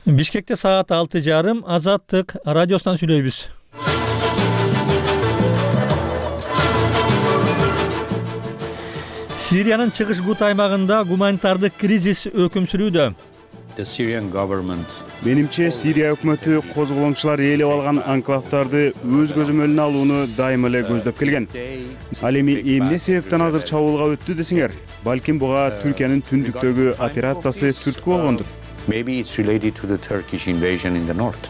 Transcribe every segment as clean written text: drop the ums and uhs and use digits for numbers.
Бишкекте саат 6:30 Азаттык радиосунан сүйлөйбүз. Сириянын чыгыш Гут аймагында гуманитардык кризис өкүм сүрүүдө. Менимче Сирия өкмөтү козголоңчулар ээлеп алган анклавдарды өз көзөмөлүнө алууну дайыма эле көздөп келген. Ал эми эмне себептен азыр чабуулга өттү десеңер, балким буга Түркиянын түндүктөгү операциясы түрткү болгондур. Maybe it's related to the Turkish invasion in the north.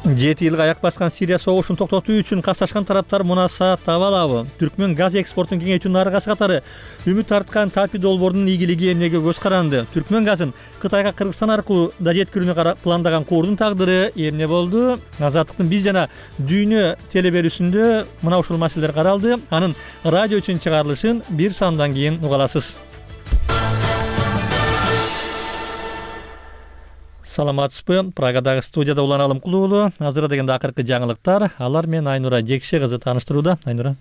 7 жылга аяк баскан Сирия согушун токтотуу үчүн катташкан тараптар мунаса таба алабы? Түркмөн газ экспортун кеңейтүүнүн аркасы катары үмүт арткан Тапи долбоорунун ийгилиги эмнеге көз каранды? Түркмөн газын Кытайга Кыргызстан аркылуу да жеткирүүнү пландаган Куурдун тагдыры эмне болду? Азаттыктын биз жана дүйнө телеберүүсүндө мына ушул маселелер каралды. Анын радио үчүн чыгарылышын бир саамдан кийин уга аласыз. Саламатсызбы? Прагадагы студияда Улан Алымкулуулу. Азыр дегенде акыркы жаңылыктар. Алар менен Айнура Жекше кызы тааныштырууда. Айнура.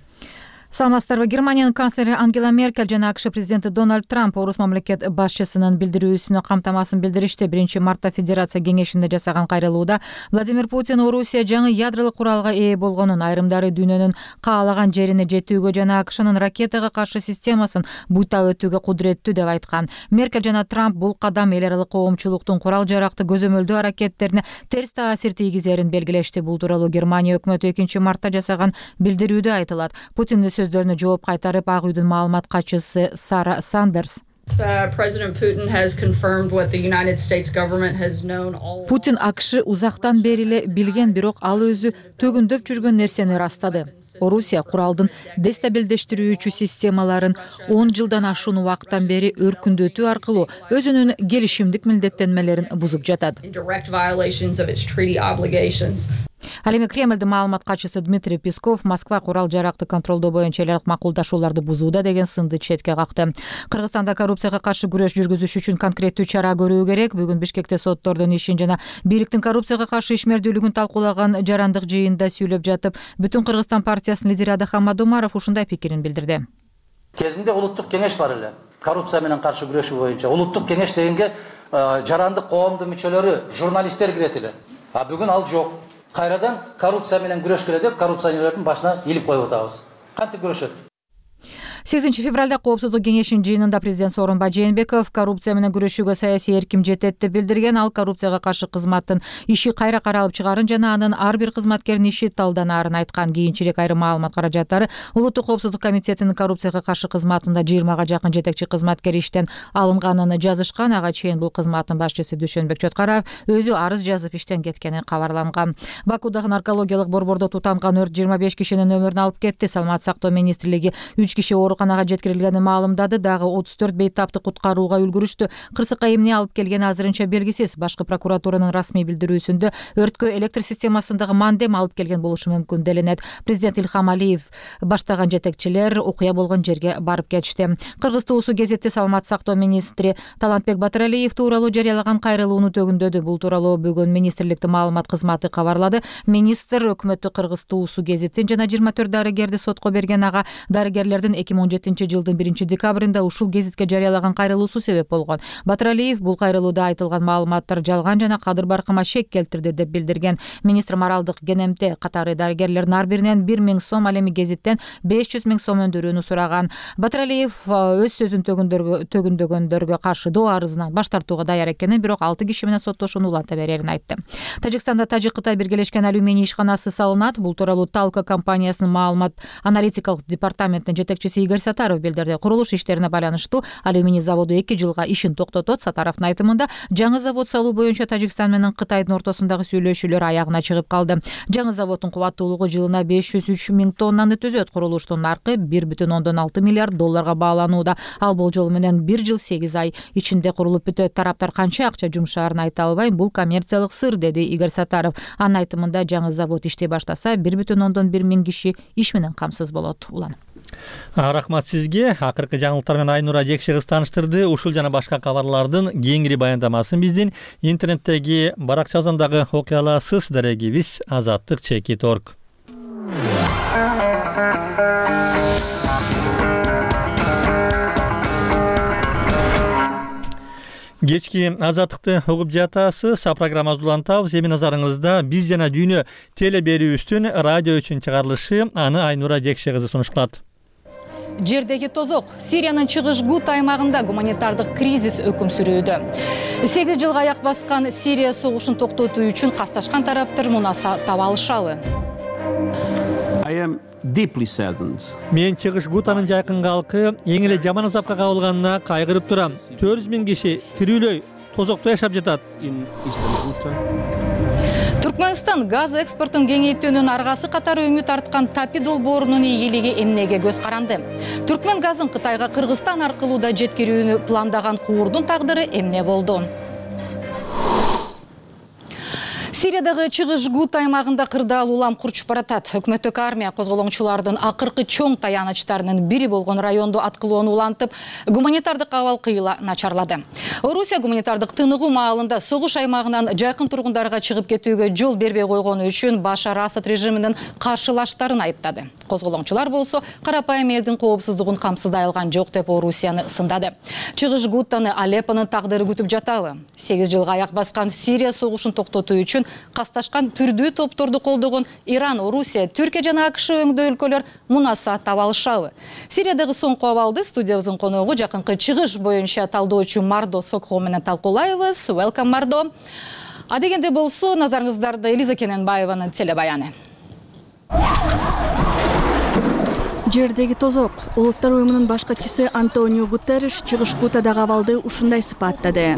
Саламатсыздарбы? Германиянын канцлери Ангела Меркель жана АКШ президенти Дональд Трамп орус мамлекет башчысынын билдирүүсүнө камтамасын билдиришти. 1-мартта Федерация кеңешинде жасаган кайрылууда Владимир Путин Орусия жаңы ядролук куралга ээ болгонун, айрымдары дүйнөнүн каалаган жерине жетүүгө жана АКШнын ракетага каршы системасын буйтап өтүүгө кудуреттүү деп айткан. Меркель жана Трамп бул кадам эл аралык коомчулуктун курал жаракты көзөмөлдөө аракеттерине терс таасир тийгизерин белгилешти. Бул тууралуу Германия өкмөтү 2-мартта жасаган билдирүүдө айтылат. Путиндин сөздөрүнө жооп кайтарып Ак үйдүн маалымат катчысы Сара Сандерс Путин АКШ узактан бери эле билген, бирок ал өзү төгүндөп жүргөн нерсени ырастады. Орусия куралдын дестабилдештирүүчү системаларын 10 жылдан ашуун убакыттан бери өркүндөтүү аркылуу өзүнүн келишимдик милдеттенмелерин бузуп жатат. Ал эми Кремлдин маалымат катчысы Дмитрий Песков Москва курал жаракты контролдоо боюнча эл аралык макулдашууларды бузууда деген сынды четке какты. Кыргызстанда коррупцияга каршы күрөш жүргүзүш үчүн конкреттүү чара көрүү керек. Бүгүн Бишкекте соттордун ишин жана бийликтин коррупцияга каршы ишмердүүлүгүн талкуулаган жарандык жыйында сүйлөп жатып, Бүтүн Кыргызстан партиясынын лидери Адахам Мадумаров ушундай пикирин билдирди. Кезинде улуттук кеңеш бар эле. Коррупция менен каршы күрөшүү боюнча улуттук кеңеш дегенге жарандык коомдун мүчөлөрү, журналисттер кирет эле. А бүгүн ал жок. Кайрадан коррупция менен күрөшкөлө деп коррупционерлердин башына илип коюп атабыз. Кантип күрөшөт? 8 февралда Коопсуздук кеңешинин жыйынында президент Сооронбай Жээнбеков коррупция менен күрөшүүгө саясий эрким жетет деп билдирген. Ал коррупцияга каршы кызматтын иши кайра каралып чыгарын жана анын ар бир кызматкердин иши талданаарын айткан. Кийинчерээк айрым маалымат каражаттары Улуттук коопсуздук комитетинин коррупцияга каршы кызматында 20га жакын жетекчи кызматкер иштен алынганын жазышкан. Ага чейин бул кызматтын башчысы Дүйшөнбек Чоткаров өзү арыз жазып иштен кеткени кабарланган. Бакуудагы наркологиялык борбордо тутанган өрт 25 кишинин өмүрүн алып кетти. Саламат сактоо министрлиги 3 киши ооруканага жеткирилгенин маалымдады. Дагы 34 бейтапты куткарууга үлгүрүштү. Кырсыкка эмне алып келгени азырынча белгисиз. Башкы прокуратуранын расмий билдирүүсүндө өрткө электр системасындагы мандем алып келген болушу мүмкүн деленет. Президент Илхам Алиев баштаган жетекчилер окуя болгон жерге барып кетишти. Кыргыз туусу гезитте Саламат сактоо министри Талантбек Батыралиев тууралуу жарыялаган кайрылууну төгүндөдү. Бул тууралуу бүгүн министрликтин маалымат кызматы кабарлады. Министр өкмөттү Кыргыз туусу гезитин жана 24 дарыгерди сотко берген. Ага дарыгерлердин 2017 жылдын 1 декабрында ушул гезитке жарыялаган кайрылуусу себеп болгон. Батыралиев бул кайрылууда айтылган маалыматтар жалган жана кадыр баркыма шек келтирди деп билдирген. Министр моралдык кенемте катары дарыгерлердин ар биринен 1000 сом, ал эми гезиттен 500 000 сом өндүрүүнү сураган. Батыралиев өз сөзүн төгүндөгөндөргө каршы доо арызынан баш тартууга даяр экенин, бирок 6 киши менен соттошууну уланта берерин айтты. Тажикстанда Тажик-Кытай биргелешкен алюминий ишканасы салынат. Бул тууралуу Талка компаниясынын маалымат аналитикалык департаментинин жетекчиси Игорь Сатаров билдирди. Курулуш иштерине байланыштуу алюминий заводу 2 жылга ишин токтотот. Сатаровдун айтымында жаңы завод салуу боюнча Тажикстан менен Кытайдын ортосундагы сүйлөшүүлөр аягына чыгып калды. Жаңы заводдун кубаттуулугу жылына 503 000 тоннаны түзөт. Курулуштун наркы 1,6 миллиард долларга бааланууда. Ал болжол менен 1 жыл 8 ай ичинде курулуп бүтөт. Тараптар канча акча жумшаарын айта албайм, бул коммерциялык сыр, деди Игорь Сатаров. Анын айтымында жаңы завод иштей баштаса 1,1 миң киши иш менен камсыз болот. Улан. Рахмат сизге. Акыркы жаңылыктар менен Айнура Жекше кыз тааныштырды. Ушул жана башка кабарлардын кеңири баяндамасын биздин интернеттеги баракчабыздагы окуя аласыз. Дарегибиз azattik.org. Кечки азаттыкты угуп жатасыз. Программабызды улантабыз. Эми назарыңызда биз жана дүйнө теле берүүбүздүн радио үчүн чыгарылышы. Аны Айнура Жекше кызы сунуш кылат. Жердеги тозок. Сириянын чыгыш Гута аймагында гуманитардык кризис өкүм сүрүүдө. 8 жылга аяк баскан Сирия согушун токтотуу үчүн касташкан тараптар мунаса таба алышабы? Мен чыгыш Гутанын жайкын калкы эң эле жаман азапка кабылганына кайгырып турам. 400 000 киши тирүүлөй тозокто жашап жатат. Түркмөнстан газ экспортун кеңейтүүнүн аргасы катары үмүт арткан Тапи долбоорунун ийгилиги эмнеге көз каранды? Түркмөн газын Кытайга Кыргызстан аркылуу да жеткирүүнү пландаган куурдун тагдыры эмне болду? Сириядагы чыгыш Гута аймагында кырдаал улам курчуп баратат. Өкмөттүк армия козголоңчулардын акыркы чоң таянычтарынын бири болгон райондо аткылоону улантып, гуманитардык абал кыйла начарлады. Орусия гуманитардык тыныгуу маалында согуш аймагынан жайкын тургундарга чыгып кетүүгө жол бербей койгону үчүн Башар Асад режиминин каршылаштарын айыптады. Козголоңчулар болсо карапайым элдин коопсуздугун камсыздай алган жок деп Орусияны сындады. Чыгыш Гутаны Алеппонун тагдыры күтүп жатабы? 8 жылга аяк баскан Сирия согушун токтотуу үчүн касташкан түрдүү топторду колдогон Иран, Орусия, Түркия жана АКШ өңдөө өлкөлөр мунаса таба алышабы? Сириядагы соңку абалды студиябыздын коногу жакынкы чыгыш боюнча талдоочу Мардо Сокхо менен талкуулайбыз. Welcome, Мардо. Адегенде болсо, назарыңыздарда Элиза Кененбаеванын телебаяны. Жердеги тозок. Улуттар уюмунун баш катчысы Антонио Гутерриш чыгыш Гутадагы абалды ушундай сыпаттады.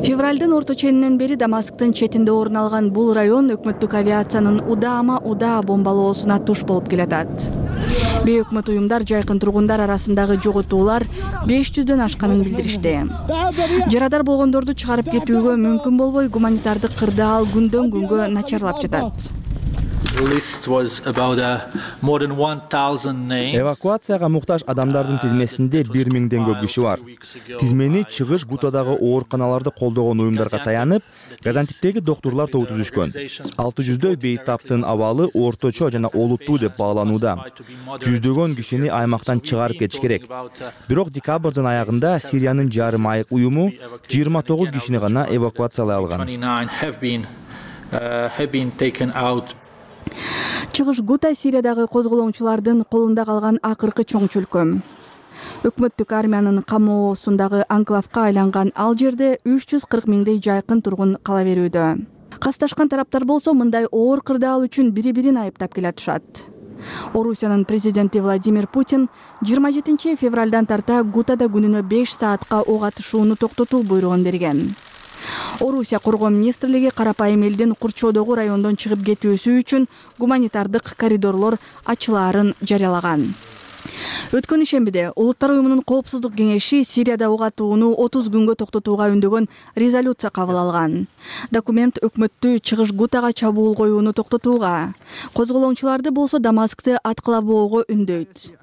Февралдын орто ченинен бери Дамасктын четинде орун алган бул район өкмөттүк авиациянын удаа бомбалоосуна туш болуп келатат. Бейөкмөт уюмдар жайкын тургундар арасындагы жоготуулар 500дөн ашканын билдиришти. Жарадар болгондорду чыгарып кетүүгө мүмкүн болбой, гуманитардык кырдаал күндөн күнгө начарлап жатат. Эвакуацияга муктаж адамдардын тизмесинде 1000ден көп киши бар. Тизмени чыгыш Гутадагы ооруканаларды колдогон уюмдарга таянып, Газантиптеги доктурлар тобу түзүшкөн. 600дөй бейтаптын абалы орточо жана олуттуу деп бааланууда. Жүздөгөн кишини аймактан чыгарып кетиш керек. Бирок декабрдын аягында Сириянын жарым айык уюму 29 кишини гана эвакуациялай алган. Чыгыш Гута Сириядагы козголоңчулардын колунда калган акыркы чоң чөлкөм. Өкмөттүк армиянын камоосундагы анклавка айланган ал жерде 340 000дей жайкын тургун кала берүүдө. Касташкан тараптар болсо мындай оор кырдаал үчүн бири-бирин айыптап келатышат. Орусиянын президенти Владимир Путин 27 февралдан тарта Гутада күнүнө 5 саатка ок атышууну токтотуу буйругун берген. Орусия коргоо министрлиги карапайым элдин курчоодогу райондон чыгып кетүүсү үчүн гуманитардык коридорлор ачылаарын жарыялаган. Өткөн ишембиде Улуттар уюмунун коопсуздук кеңеши Сирияда ок атууну 30 күнгө токтотууга үндөгөн резолюция кабыл алган. Документ өкмөттү чыгыш Гутага чабуул коюуну токтотууга, козголоңчуларды болсо Дамаскты аткылабоого үндөйт.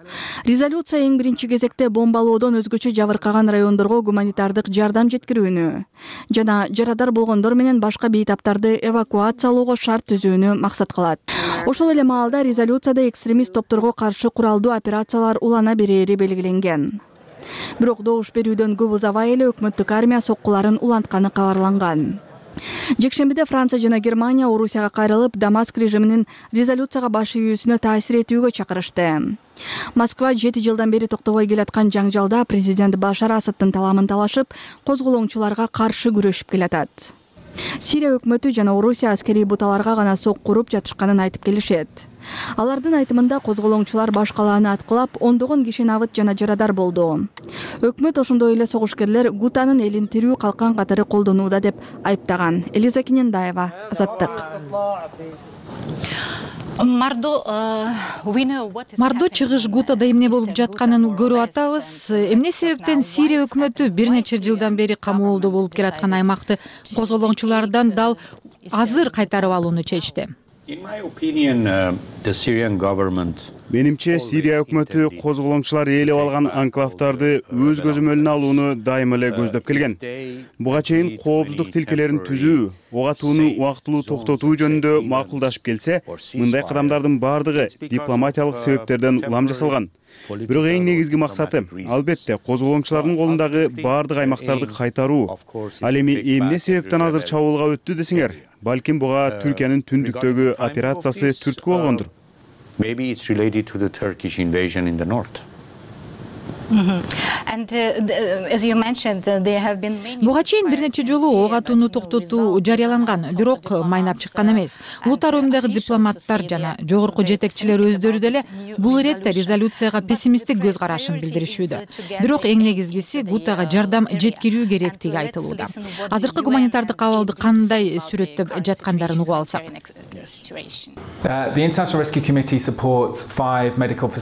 Резолюция эң биринчи кезекте бомбалоодон өзгөчө жабыркаган райондорго гуманитардык жардам жеткирүүнү жана жарадар болгондор менен башка бейтаптарды эвакуациялоого шарт түзүүнү максат кылат. Ошол эле маалда резолюцияда экстремист топторго каршы куралдуу операциялар улана берери белгиленген. Бирок добуш берүүдөн көп узабай эле өкмөттүк армия соккуларын улантканы кабарланган. Жекшембиде Франция жана Германия Орусияга кайрылып, Дамаск режиминин резолюцияга баш ийүүсүнө таасир этүүгө чакырышты. Москва 7 жылдан бери токтобой келаткан жаңжалда президент Башар Асадтын таламын талашып, козголоңчуларга каршы күрөшүп келатат. Сирия өкмөтү жана Орусия аскерий буталарга гана сок куруп жатышканын айтып келишет. Алардын айтымында козголоңчулар баш калааны аткылап, ондогон киши набыт жана жарадар болду. Өкмөт ошондой эле согушкерлер Гутанын элин тирүү калкан катары колдонууда деп айыптаган. Элиза Кененбаева, Азаттык. Мардо чыгыш Гутада эмне болуп жатканын көрүп атабыз. Эмне себептен Сирия өкмөтү бир нече жылдан бери камоолдо болуп келаткан аймакты козголоңчулардан дал азыр кайтарып алууну чечти? In my opinion, the Syrian government Менимче Сирия өкмөтү козголоңчулар ээлеп алган анклавдарды өз көзөмөлүнө алууну дайыма эле көздөп келген. Буга чейин коопсуздук тилкелерин түзүү, ок атууну убактылуу токтотуу жөнүндө макулдашып келсе, мындай кадамдардын бардыгы дипломатиялык себептерден улам жасалган. Бирок эң негизги максаты албетте козголоңчулардын колундагы бардык аймактарды кайтаруу. Ал эми эмне себептен азыр чабуулга өттү десеңер, балким буга Түркиянын түндүктөгү операциясы түрткү болгондур. Maybe it's related to the Turkish invasion in the north. Буга чейин бир нече жолу ок атууну токтотуу жарыяланган, бирок майнап чыккан эмес. Улуттар уюмундагы дипломаттар жана жогорку жетекчилер өздөрү деле бул иретте резолюцияга пессимисттик көз карашын билдиришүүдө. Бирок эң негизгиси Гутага жардам жеткирүү керектиги айтылууда. Азыркы гуманитардык абалды кандай сүрөттөп жаткандарын угуп алсак.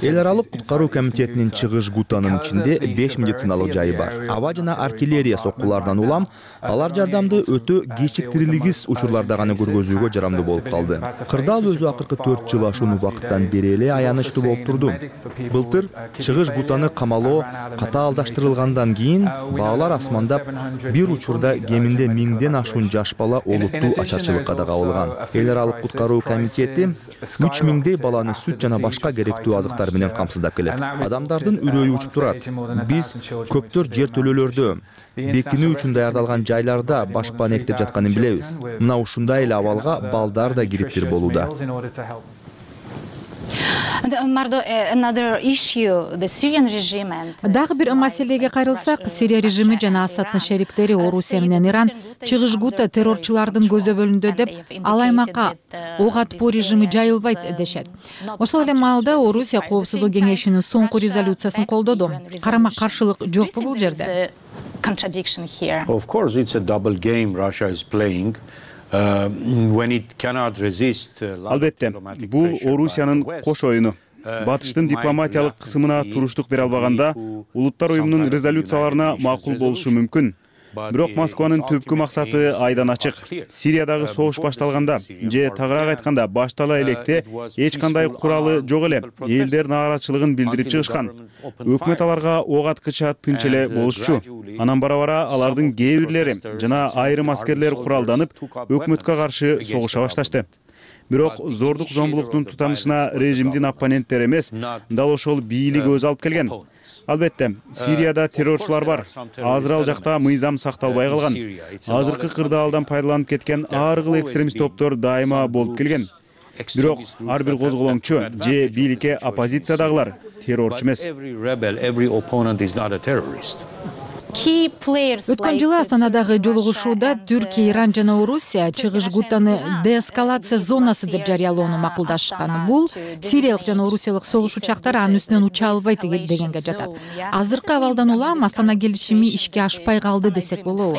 Эл аралык куткаруу комитетинин чыгыш Гутанын ичинде 5 медициналык жайы бар. Аба жана артиллерия соккуларынан улам алар жардамды өтө кечиктирилгис учурларда гана көргөзүүгө жарамдуу болуп калды. Кырдаал өзү акыркы 4 жыл ашуун убакыттан бери эле аянычтуу болуп турду. Былтыр чыгыш Гутаны камалоо катаалдаштырылгандан кийин баалар асмандап, бир учурда кеминде 1000ден ашуун жаш бала олуттуу ачарчылыкка да кабылган. Эл аралык куткаруу комитети 3000дей баланы сүт жана башка керектүү азыктар менен камсыздап келет. Адамдардын үрөйү учуп турат. Биз көптөр жертөлөлөрдө, бекинүү үчүн даярдалган жайларда башпан эктеп жатканын билебиз. Мына ушундай эле абалга балдар да кириптир болууда. Дагы бир маселеге кайрылсак, Сирия режими жана Асадтын шериктери Орусия менен Иран чыгыш Гута террорчулардын көзөбөлүндө деп ал аймакка ок атпоо режими жайылбайт дешет. Ошол эле маалда Орусия Коопсуздук кеңешинин соңку резолюциясын колдоду. Карама-каршылык жокпу бул жерде? Of course, it's a double game Russia is playing. When it cannot resist. Албетте, бул Орусиянын кош оюну. Батыштын дипломатиялык кысымына туруштук бере албаганда, улуттар уюмунун резолюцияларына макул болушу мүмкүн. Бирок Москванын түпкү максаты айдан ачык. Сириядагы согуш башталганда же тагыраак айтканда баштала электе эч кандай куралы жок эле элдер нааразычылыгын билдирип чыгышкан. Өкмөт аларга ок аткыча тынч эле болушчу. Анан бара-бара алардын кээ бирлери жана айрым аскерлер куралданып, өкмөткө каршы согуша башташты. Бирок зордук зомбулуктун тутанышына режимдин оппоненттери эмес, дал ошол бийлик өзү алып келген. Албетте, Сирияда террорчулар бар. Азыр ал жакта мыйзам сакталбай калган. Азыркы кырдаалдан пайдаланып кеткен ар кыл экстремист топтор дайыма болуп келген. Бирок ар бир козголоңчу же бийликке оппозициядагылар террорчу эмес. Өткөн жылы Астанадагы жолугушууда Түркия, Иран жана Орусия чыгыш Гутаны деэскалация зонасы деп жарыялоону макулдашкан. Бул сириялык жана орусиялык согуш учактары анын үстүнөн уча албайт дегенге жатат. Азыркы абалдан улам Астана келишими ишке ашпай калды десек болобу?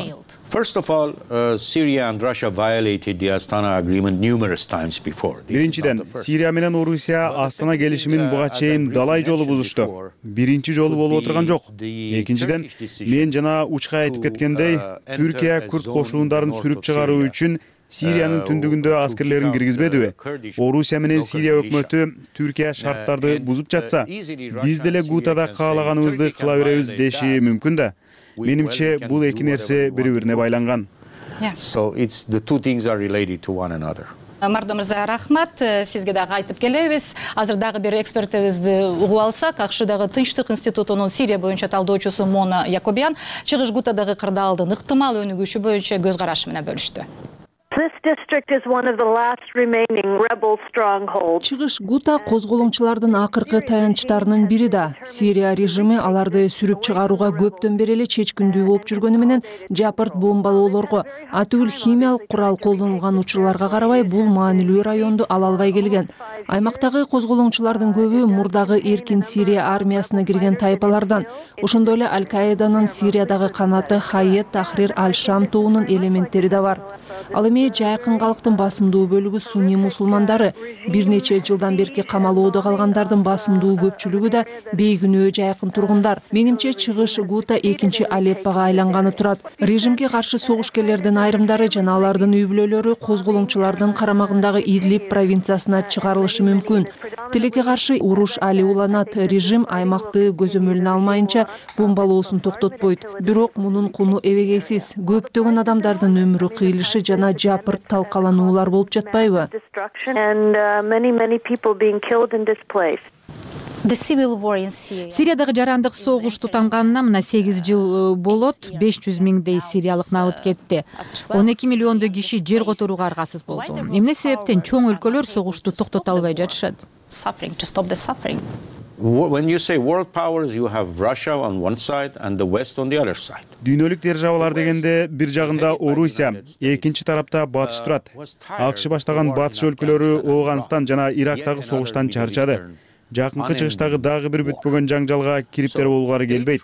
First of all, Syria and Russia violated the Astana agreement numerous times before. Биринчиден, Сирия менен Орусия Астана келишимин буга чейин далай жолу бузушту. Биринчи жолу болуп отурган жок. Экинчиден, мен жана учка айтып кеткендей, Түркия күрд кошуундарын сүрүп чыгаруу үчүн Сириянын түндүгүндө аскерлерин киргизбедиби? Орусия менен Сирия өкмөтү Түркия шарттарды бузуп жатса, биз деле Гутада каалаганыбызды кыла беребиз деши мүмкүн да. Менимче бул эки нерсе бири-бирине байланган. So it's the two things are related to one another. Мардо мырза, рахмат. Сизге дагы айтып келебиз. Азыр дагы бир экспертибизди угуп алсак, АКШдагы Тынчтык институтунун Сирия боюнча талдоочусу Мона Якобян чыгыш Гутадагы кырдаалдын ыктымал өнүгүшү боюнча көз карашы менен бөлүштү. Чыгыш Гута козголоңчулардын акыркы таянычтарынын бири да. Сирия режими аларды сүрүп чыгарууга көптөн бери эле чечкиндүү болуп жүргөнү менен жапырт бомбалоолорго, атүгүл химиялык курал колдонулган учурларга карабай бул маанилүү районду ала албай келген. Аймактагы козголоңчулардын көбү мурдагы эркин Сирия армиясына кирген тайпалардан, ошондой эле Аль-Каиданын Сириядагы канаты Хайет Тахрир Аль-Шам тобунун элементтери да бар. Ал эми эми жайкын калктын басымдуу бөлүгү сунний мусулмандары. Бир нече жылдан берки камалоодо калгандардын басымдуу көпчүлүгү да бейкүнөө жайкын тургундар. Менимче чыгыш Гута экинчи Алеппого айланганы турат. Режимге каршы согушкерлердин айрымдары жана алардын үй бүлөлөрү козголоңчулардын карамагындагы Идлиб провинциясына чыгарылышы мүмкүн. Тилекке каршы уруш али уланат. Режим аймакты көзөмөлүнө алмайынча бомбалоосун токтотпойт. Бирок мунун куну эбегейсиз. Көптөгөн адамдардын өмүрү кыйылышы жана жапырт талкалануулар болуп жатпайбы? Сириядагы жарандык согуш тутанганына мына 8 жыл болот. 500 миңдей сириялык набыт кетти. 12 миллиондой киши жер которууга аргасыз болду. Эмне себептен чоң өлкөлөр согушту токтото албай жатышат? When you say world powers, you have Russia on one side and the West on the other side. Дүйнөлүк державалар дегенде бир жагында Орусия, экинчи тарапта Батыш турат. АКШ баштаган батыш өлкөлөрү Ооганстан жана Ирактагы согуштан чарчады. Жакынкы чыгыштагы дагы бир бүтпөгөн жаңжалга кириптер болгары келбейт.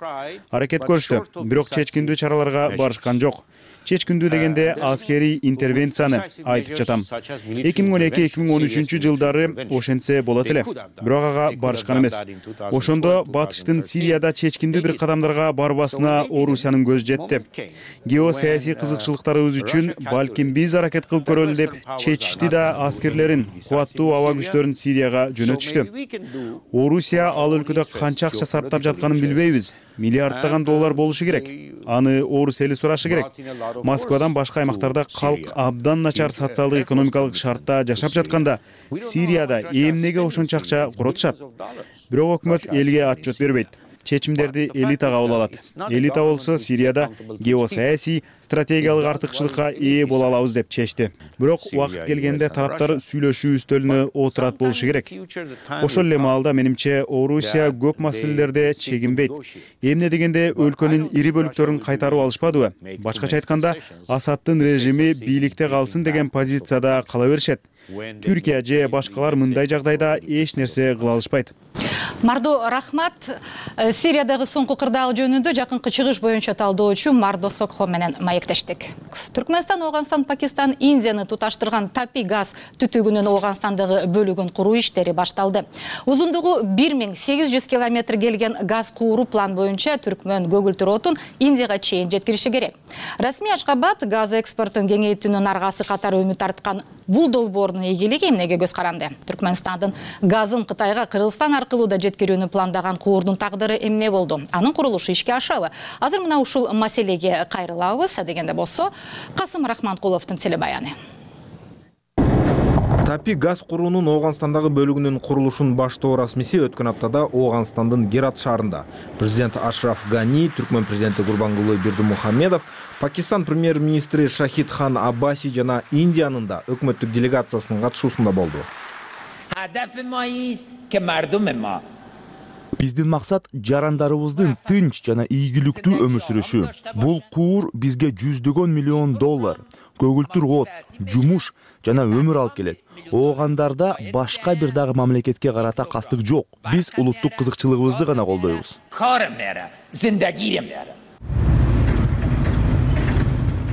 Аракет көрүштү, бирок чечкиндүү чараларга барышкан жок. Чечкиндүү дегенде аскерий интервенцияны айтып жатам. 2012-2013 жылдары ошентсе болот эле. Бирок ага барышкан эмес. Ошондо батыштын Сирияда чечкиндүү бир кадамдарга барбасына Орусиянын көзү жетти. Геосаясий кызыкчылыктарыбыз үчүн балким биз аракет кылып көрөлү деп чечишти да аскерлерин, кубаттуу аба күчтөрүн Сирияга жөнөтүштү. Орусия ал өлкөдө канча акча сарптап жатканын билбейбиз. Миллиарддаган доллар болушу керек. Аны Орус эли сурашы керек. Москвадан башка аймактарда калк абдан начар социалдык экономикалык шартта жашап жатканда Сирияда эмнеге ошончо акча коротушат? Бирок өкмөт элге отчет бербейт. Чечимдерди элита кабыл алат. Элита болсо Сирияда геосаясий стратегиялык артыкчылыкка ээ боло алабыз деп чечти. Бирок убакыт келгенде тараптар сүйлөшүү үстөлүнө отурат болушу керек. Ошол эле маалда менимче Орусия көп маселелерде чегинбейт. Эмне дегенде өлкөнүн ири бөлүктөрүн кайтарып алышпадыбы? Башкача айтканда, Асадтын режими бийликте калсын деген позицияда кала беришет. Түркия же башкалар мындай жагдайда эч нерсе кыла алышпайт. Мардо рахмат. Сириядагы соңку кырдаал жөнүндө жакынкы чыгыш боюнча талдоочу Мардо Сокхо менен маектештик. Түркмөнстан, Ооганстан, Пакистан, Индияны туташтырган Tappi газ түтүгүнүн Ооганстандагы бөлүгүн куруу иштери башталды. Узундугу 1800 километр келген газ кууруу план боюнча Түркмөн көгүлтүр отун Индияга чейин жеткириши керек. Расмий Ашкабад газ экспортун кеңейтүүнүн аргасы катары үмүт арткан бул долбоордун ийгилиги эмнеге көз каранды? Түркмөнстандын газын Кытайга Кыргызстан аркылуу да жеткирүүнү пландаган куурдун тагдыры эмне болду? Анын курулушу ишке ашабы? Азыр мына ушул маселеге кайрылабыз. Дегенде болсо, Касым Рахманкуловдун телебаяны. Tappi газ куруунун Ооганстандагы бөлүгүнүн курулушун баштоо расмиси өткөн аптада Ооганстандын Герат шаарында президент Ашраф Гани, Түркмөн президенти Гурбангулы Бердимухамедов, Пакистан премьер-министри Шахид Хан Аббаси жана Индиянын да өкмөттүк делегациясынын катышуусунда болду. Биздин максат жарандарыбыздын тынч жана ийгиликтүү өмүр сүрүшү. Бул куур бизге $100 миллион, көгүлтүр от, жумуш жана өмүр алып келет. Оогандарда башка бир дагы мамлекетке карата кастык жок. Биз улуттук кызыкчылыгыбызды гана колдойбуз.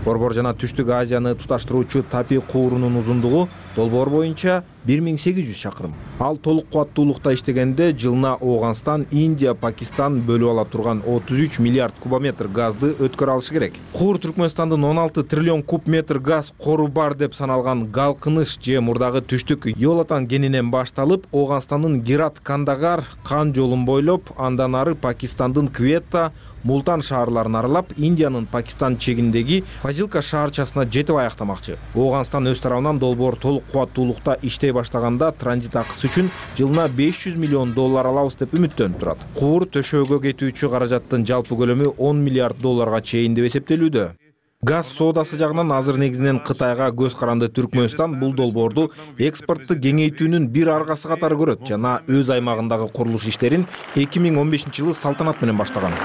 Борбор жана Түштүк Азияны туташтыруучу Tappi куурунун узундугу долбоор боюнча 1800 чакырым. Ал толук кубаттуулукта иштегенде жылына Ооганстан, Индия, Пакистан бөлүп ала турган 33 миллиард кубометр газды өткөрө алышы керек. Куур Түркмөнстандын 16 триллион куб метр газ кору бар деп саналган Галкыныш же мурдагы Түштүк Йолатан кенинен башталып, Ооганстандын Герат Кандагар кан жолун бойлоп, андан ары Пакистандын Кветта, Мултан шаарларын аралап, Индиянын Пакистан чегиндеги Фазилка шаарчасына жетип аяктамакчы. Ооганстан өз тарабынан долбоор толук кубаттуулукта иштей баштаганда транзит акысы үчүн жылына $500 миллион алабыз деп үмүттөнүп турат. Куур төшөөгө кетүүчү каражаттын жалпы көлөмү $10 миллиард чейин деп эсептелүүдө. Газ соодасы жагынан азыр негизинен Кытайга көз каранды Түркмөнстан бул долбоорду экспортту кеңейтүүнүн бир аргасы катары көрөт жана өз аймагындагы курулуш иштерин 2015-жылы салтанат менен баштаган.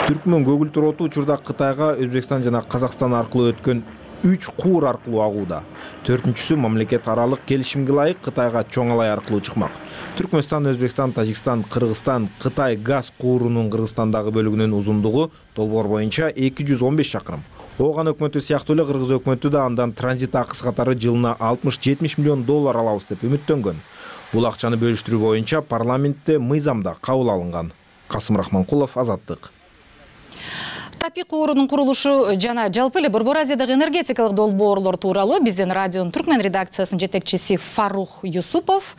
Түркмөн көгүлтүр оту учурда Кытайга Өзбекстан жана Казакстан аркылуу өткөн 3 куур аркылуу агууда. 4-сү мамлекет аралык келишимге ылайык Кытайга чоңалай аркылуу чыкмак. Түркмөнстан, Өзбекстан, Тажикстан, Кыргызстан, Кытай газ куурунун Кыргызстандагы бөлүгүнүн узундугу долбоор боюнча 215 чакырым. Ооган өкмөтү сыяктуу эле Кыргыз өкмөтү да андан транзит акысы катары жылына 60-70 миллион доллар алабыз деп үмүттөнгөн. Бул акчаны бөлүштүрүү боюнча парламентте мыйзамда кабыл алынган. Касым Рахманкулов, Азаттык. Тапи куурунун курулушу жана жалпы эле Борбор Азиядагы энергетикалык долбоорлор тууралуу биздин радионун түркмен редакциясынын жетекчиси Фарух Юсупов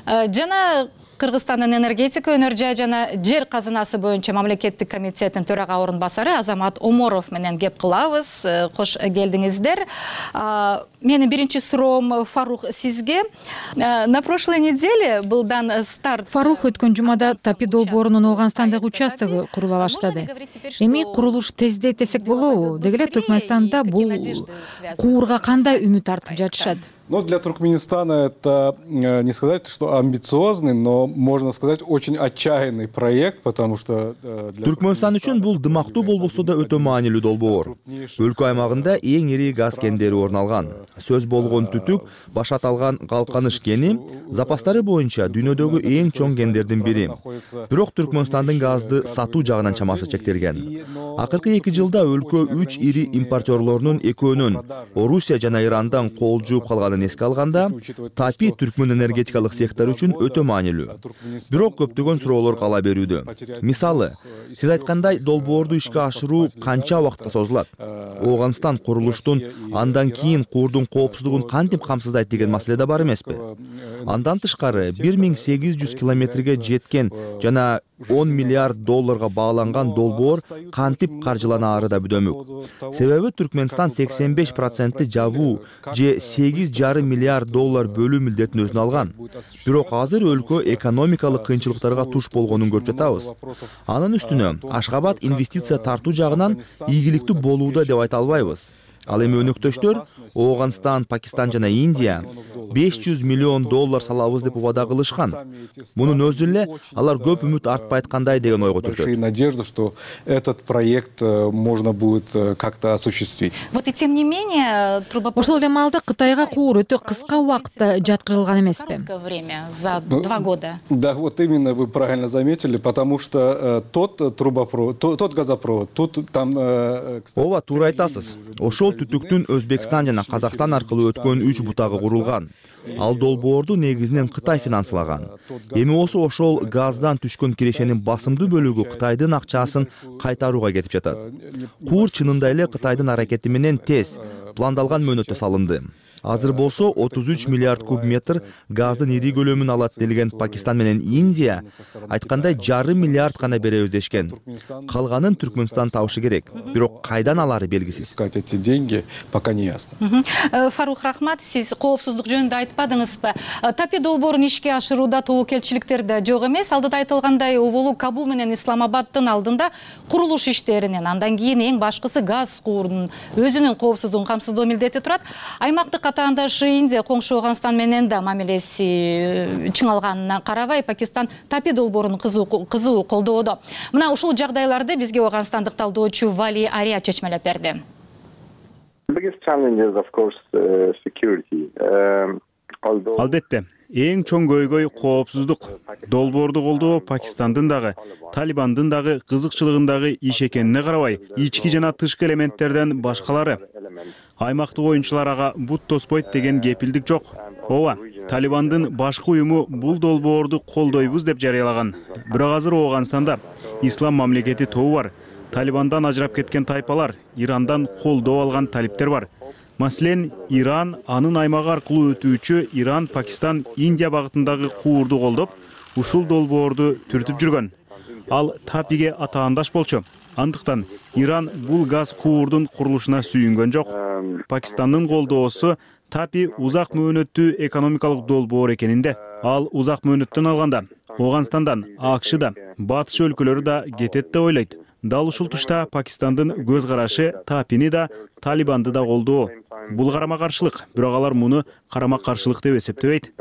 жана Кыргызстандын энергетика, өнөр жай жана жер казынасы боюнча мамлекеттик комитеттин төрага орун басары Азамат Оморов менен кеп кылабыз. Кош келдиңиздер. Менин биринчи суроом Фарух сизге. На прошлой неделе был дан старт. Фарух өткөн жумада Тапи долбоорунун Ооганстандагы участогу курула баштады. Эми курулуш тездейт десек болобу? Деги эле Түркмөнстанда бул куурга кандай үмүт артып жатышат? Но для Туркменистана это не сказать, что амбициозный, но можно сказать очень отчаянный проект, потому что Түркмөнстан үчүн бул дымактуу болбосо да өтө маанилүү долбоор. Өлкө аймагында эң ири газ кендери орун алган. Сөз болгон түтүк баш аталган Калканыш кени запастары боюнча дүйнөдөгү эң чоң кендердин бири. Бирок Түркмөнстандын газды сатуу жагынан чамасы чектелген. Акыркы 2 жылда өлкө 3 ири импортерлорунун экөөнүн Орусия жана Ирандан кол жууп калганын эске алганда, Тапи түркмөн энергетикалык сектор үчүн өтө маанилүү. Бирок көптөгөн суроолор кала берүүдө. Мисалы, сиз айткандай долбоорду ишке ашыруу канча убакытка созулат? Ооганстан курулуштун андан кийин куурдун коопсуздугун кантип камсыздайт деген маселе да бар эмеспи? Андан тышкары 1800 километрге жеткен жана 10 миллиард долларга бааланган долбоор кантип каржыланаары да бүдөмүк. Себеби Түркмөнстан 85% жабуу же 8,5 миллиард доллар бөлүү милдетин өзүнө алган. Бирок азыр өлкө экономикалык кыйынчылыктарга туш болгонун көрүп жатабыз. Анын үстүнө Ашгабад инвестиция тартуу жагынан ийгиликтүү болууда деп айта албайбыз. Ал эми өнөктөштөр Ооганстан, Пакистан жана Индия 500 миллион доллар салабыз деп убада кылышкан. Мунун өзү эле алар көп үмүт артпай айткандай деген ойго түртөт. Большая надежда, что этот проект можно будет как-то осуществить. Вот и тем не менее, ошол эле маалда Кытайга куур өтө кыска убакытта жаткырылган эмеспи? Время за 2 года. Да, вот именно вы правильно заметили, потому что тот трубопровод, тот газопровод, тут там... Ооба, туура айтасыз. Ошол түтүктүн Өзбекстан жана Казакстан аркылуу өткөн 3 бутагы курулган. Ал долбоорду негизинен Кытай финансылаган. Эми ошол газдан түшкөн кирешенин басымдуу бөлүгү Кытайдын акчасын кайтарууга кетип жатат. Куур чынында эле Кытайдын аракети менен тез пландалган мөөнөттө салынды. Азыр болсо 33 миллиард куб метр газдын ири көлөмүн алат делген Пакистан менен Индия айткандай 1,5 миллиард гана беребиз дешкен. Калганын Түркмөнстан табышы керек. Бирок кайдан алары белгисиз. Эти деньги пока не ясно. Фарух, рахмат, сиз коопсуздук жөнүндө айтпадыңызбы? Тапи долбоорун ишке ашырууда тобокелчиликтер да жок эмес. Алдыда айтылгандай, болуу Кабул менен Исламабаддын алдында курулуш иштеринен, андан кийин эң башкысы газ куурунун өзүнүн коопсуздугун камсыздоо милдети турат. Аймактык катаандашы Индия коңшу Ооганстан менен да мамилеси чыңалганына карабай, Пакистан Тапи долбоорун кызуу колдоодо. Мына ушул жагдайларды бизге ооганстандык талдоочу Вали Ария чечмелеп берди. Албетте, эң чоң көйгөй коопсуздук. Долбоорду колдоо Пакистандын дагы, Талибандын дагы кызыкчылыгындагы иш экенине карабай, ички жана тышкы элементтерден башкалары. Аймактык оюнчулар ага бут тоспойт деген кепилдик жок. Ооба, Талибандын башкы уюму бул долбоорду колдойбуз деп жарыялаган. Бирок азыр Ооганстанда ислам мамлекети тобу бар. Талибандан ажырап кеткен тайпалар, Ирандан колдоо алган талиптер бар. Маселен, Иран анын аймагы аркылуу өтүүчү Иран, Пакистан, Индия багытындагы куурду колдоп, ушул долбоорду түртүп жүргөн. Ал Тапиге атаандаш болчу. Андыктан Иран бул газ куурдун курулушуна сүйүнгөн жок. Пакистандын колдоосу Тапи узак мөөнөттүү экономикалык долбоор экенинде. Ал узак мөөнөттөн алганда Ооганстандан, АКШда, батыш өлкөлөрү да кетет деп ойлойт. Дал ушул тушта Пакистандын көз карашы Тапини да, Талибанды да колдоо. Бул карама каршылык, бирок алар муну карама каршылык деп эсептебейт.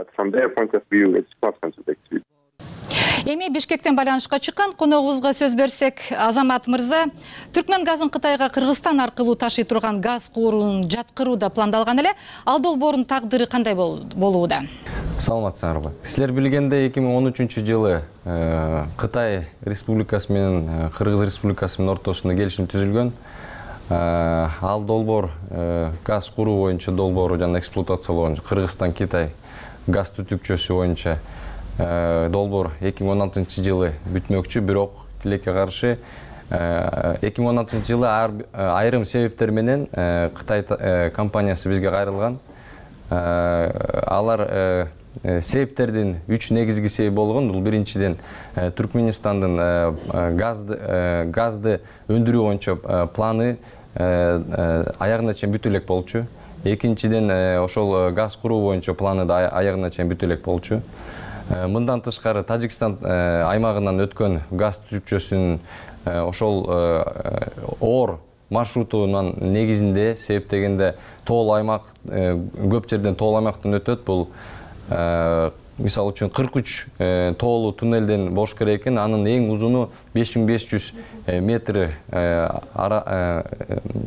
Эми Бишкектен байланышка чыккан коногубузга сөз берсек, Азамат мырза, Түркмөн газын Кытайга Кыргызстан аркылуу ташый турган газ куурун жаткырууда пландалган эле. Ал долбоордун тагдыры кандай болууда? Саламатсыңарбы. Силер билгендей 2013-жылы Кытай Республикасы менен Кыргыз Республикасы менен ортосунда келишим түзүлгөн. Ал долбоор газ куруу боюнча долбоору жана эксплуатациялоо боюнча Кыргызстан Китай газ түтүкчөсү боюнча долбоор 2016 жылы бүтмөкчү, бирок тилекке каршы 2016 жылы айрым себептер менен Кытай компаниясы бизге кайрылган. Алар себептердин 3 негизги себеби болгон. Бул биринчиден Түркмөнстандын газды өндүрүү боюнча планы аягына чейин бүтө элек болчу. Экинчиден ошол газ куруу боюнча планы да аягына чейин бүтө элек болчу. Мындан тышкары Тажикстан аймагынан өткөн газ түтүкчөсүнүн ошол оор маршрутунун негизинде себептегенде тоол аймак, көп жерден тоол аймактан өтөт. Бул мисалы үчүн 43 тоолуу туннелден бош керек экен. Анын эң узуну 5500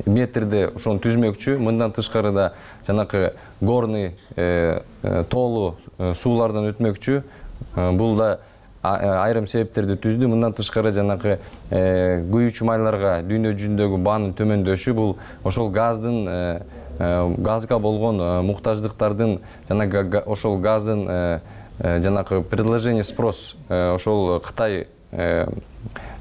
метрде ошону түзмөкчү. Мындан тышкары да жанакы горный тоолуу суулардан өтмөкчү. Бул да айрым себептерди түздү. Мындан тышкары жанакы күйүүчү майларга дүйнө жүзүндөгү баанын төмөндөшү, бул ошол газга болгон муктаждыктардын жана ошол газдын жанакы предложение спрос ошол Кытай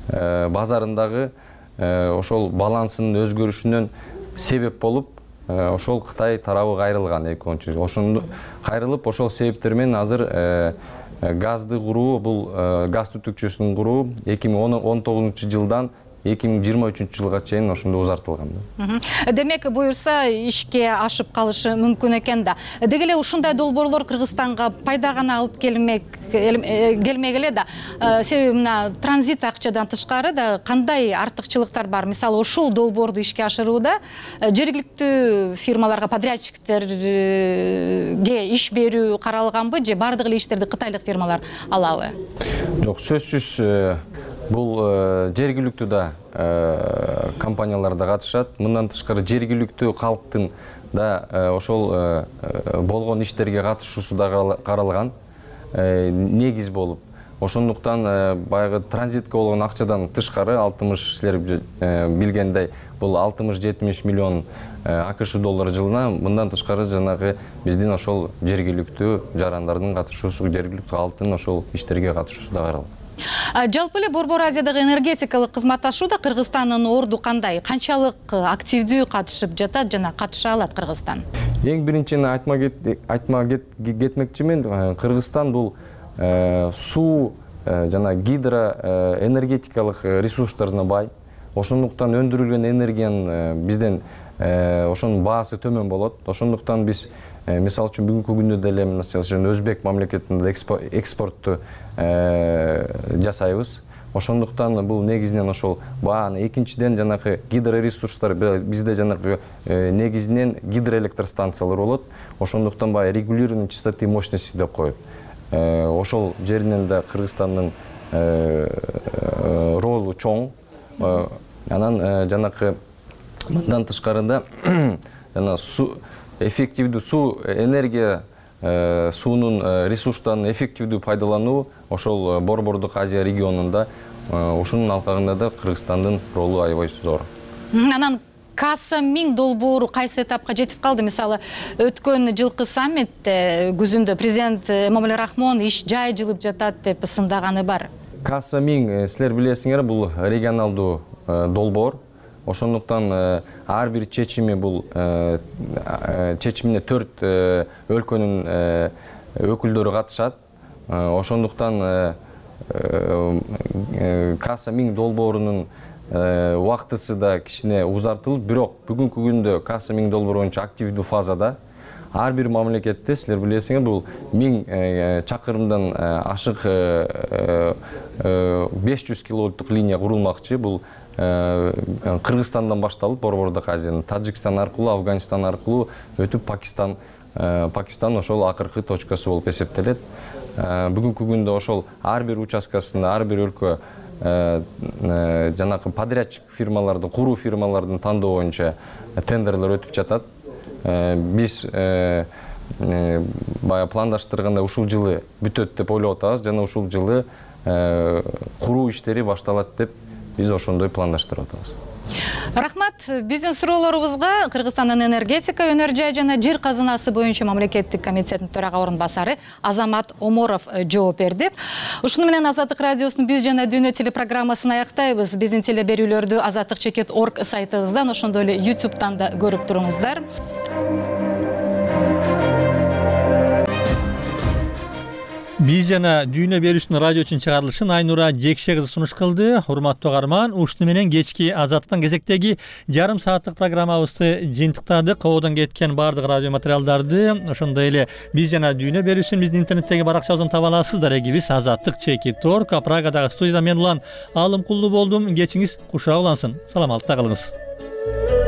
базарындагы ошол балансынын өзгөрүшүнөн себеп болуп, ошол Кытай тарабы кайрылган 2010 жылы. Ошондо кайрылып, ошол себептер менен азыр газды куруу, бул газ түтүкчөсүнүн куруу 2019 жылдан 2023 жылга чейин ошондо узартылган. Демек, буюрса ишке ашып калышы мүмкүн экен да. Деги эле ушундай долбоорлор Кыргызстанга пайда гана алып келмек эле да. Себеби мына транзит акчадан тышкары да кандай артыкчылыктар бар? Мисалы, ушул долбоорду ишке ашырууда жергиликтүү фирмаларга, подрядчиктерге иш берүү каралганбы же бардык эле иштерди кытайлык фирмалар алабы? Жок, сөзсүз бул жергиликтүү да компаниялар да катышат. Мындан тышкары жергиликтүү калктын да ошол болгон иштерге катышуусу да каралган негиз болуп. Ошондуктан баягы транзитке болгон акчадан тышкары 60, силер билгендей, бул 60-70 миллион АКШ доллары жылына. Мындан тышкары жанагы биздин ошол жергиликтүү жарандардын катышуусу, жергиликтүү калктын ошол иштерге катышуусу да каралган. Жалпы эле Борбор Азиядагы энергетикалык кызматташууда Кыргызстандын орду кандай? Канчалык активдүү катышып жатат жана катыша алат Кыргызстан? Эң биринчиден айтма кетмекчимин, Кыргызстан бул суу жана гидроэнергетикалык ресурстарына бай. Ошондуктан өндүрүлгөн энергиянын бизден ошонун баасы төмөн болот. Ошондуктан биз мисалы үчүн бүгүнкү күндө деле Өзбек мамлекетинде экспортту жасайбыз. Ошондуктан бул негизинен ошол бааны. Экинчиден жанакы гидроресурстар бизде жанакы негизинен гидроэлектростанциялар болот. Ошондуктан баягы регулированный частоты мощности деп коет. Ошол жеринен да Кыргызстандын ролу чоң. Анан жанакы мындан тышкарында жана эффективдүү суу энергия суунун ресурстарын эффективдүү пайдалануу ошол Борбордук Азия регионунда ушунун алкагында да Кыргызстандын ролу аябай зор. Анан Касса 1000 долбоору кайсы этапка жетип калды? Мисалы, өткөн жылкы саммитте күзүндө президент Эмомали Рахмон иш жай жылып жатат деп ысындаганы бар. Касса 1000, силер билесиңер, бул регионалдуу долбоор. Ошондуктан ар бир чечими бул чечимине 4 өлкөнүн өкүлдөрү катышат. Ошондуктан Касса 1000 долбоорунун убактысы да кичине узартылып, бирок бүгүнкү күндө Касса 1000 долбоор боюнча активдүү фазада. Ар бир мамлекетте, силер билесиңер, бул 1000 чакырымдан ашык 500 киловольттук линия курулмакчы. Бул Кыргызстандан башталып, Борбордук Азиянын Тажикстан аркылуу, Афганистан аркылуу өтүп Пакистан ошол акыркы точкасы болуп эсептелет. Бүгүнкү күндө ошол ар бир участкасында, ар бир өлкө жанакы подрядчик фирмалардын, куруу фирмалардын тандоо боюнча тендерлер өтүп жатат. Биз баягы пландаштырганда ушул жылы бүтөт деп ойлоп атабыз жана ушул жылы куруу иштери башталат деп биз ошондой пландаштырып атабыз. Рахмат. Биздин суроолорубузга Кыргызстандын энергетика, өнөр жай жана жер казынасы боюнча мамлекеттик комитеттин төрага орун басары Азамат Оморов жооп берди. Ушуну менен Азаттык радиосунун Биз жана Дүйнө телепрограммасын аяктайбыз. Биздин телеберүүлөрдү azattik.org сайтыбыздан, ошондой эле YouTube'дан да көрүп туруңуздар. Биз жана Дүйнө берүүсүнүн радио үчүн чыгарылышын Айнура Жекше кызы сунуш кылды. Урматтуу угарман, ушуну менен кечки Азаттыктан кезектеги жарым сааттык программабызды жыйынтыктадык. Кободон кеткен баардык радио материалдарды, ошондой эле Биз жана Дүйнө берүүсүн биздин интернеттеги баракчабыздан таба аласыздар. Эгибиз azattik.org. Прагадагы студияда мен улан Алым Кулду болдум. Кечиңиз кушак улансын. Саламатта калыңыз.